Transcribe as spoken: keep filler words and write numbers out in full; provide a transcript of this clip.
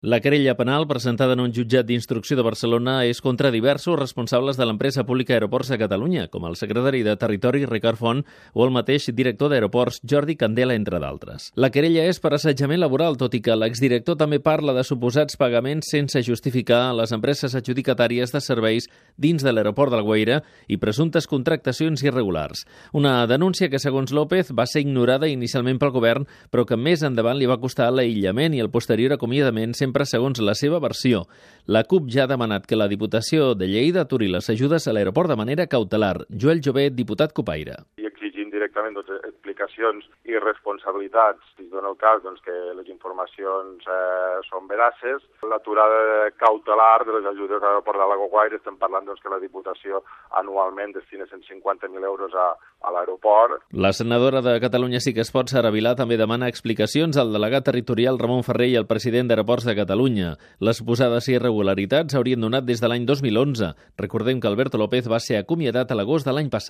La querella penal presentada en un jutjat d'instrucció de Barcelona és contra diversos responsables de l'empresa pública Aeroports de Catalunya, com el secretari de Territori Ricard Font o el mateix director d'Aeroports Jordi Candela, entre d'altres. La querella és per assetjament laboral, tot i que l'exdirector també parla de suposats pagaments sense justificar a les empreses adjudicatàries de serveis dins de l'aeroport d'Alguaire i presumptes contractacions irregulars. Una denúncia que, segons López, va ser ignorada inicialment pel govern, però que més endavant li va costar l'aïllament i el posterior acomiadament, sempre segons la seva versió. La CUP ja ha demanat que la Diputació de Lleida aturi les ajudes a l'aeroport de manera cautelar. Joel Jové, diputat Cupaire. I exigint directament doncs, explicacions i responsabilitats, si es dona el cas doncs, que les informacions eh, són veraces. L'aturada cautelar de les ajudes a l'aeroport de l'Alguaire, estem parlant doncs, que la Diputació anualment destina cent cinquanta mil euros a, a l'aeroport. La senadora de Catalunya Sí que es pot, Sara Vilà, també demana explicacions al delegat territorial Ramon Ferrer i al president d'Aeroports de Catalunya. Les suposades irregularitats haurien donat des de l'any dos mil onze. Recordem que Alberto López va ser acomiadat a l'agost de l'any passat.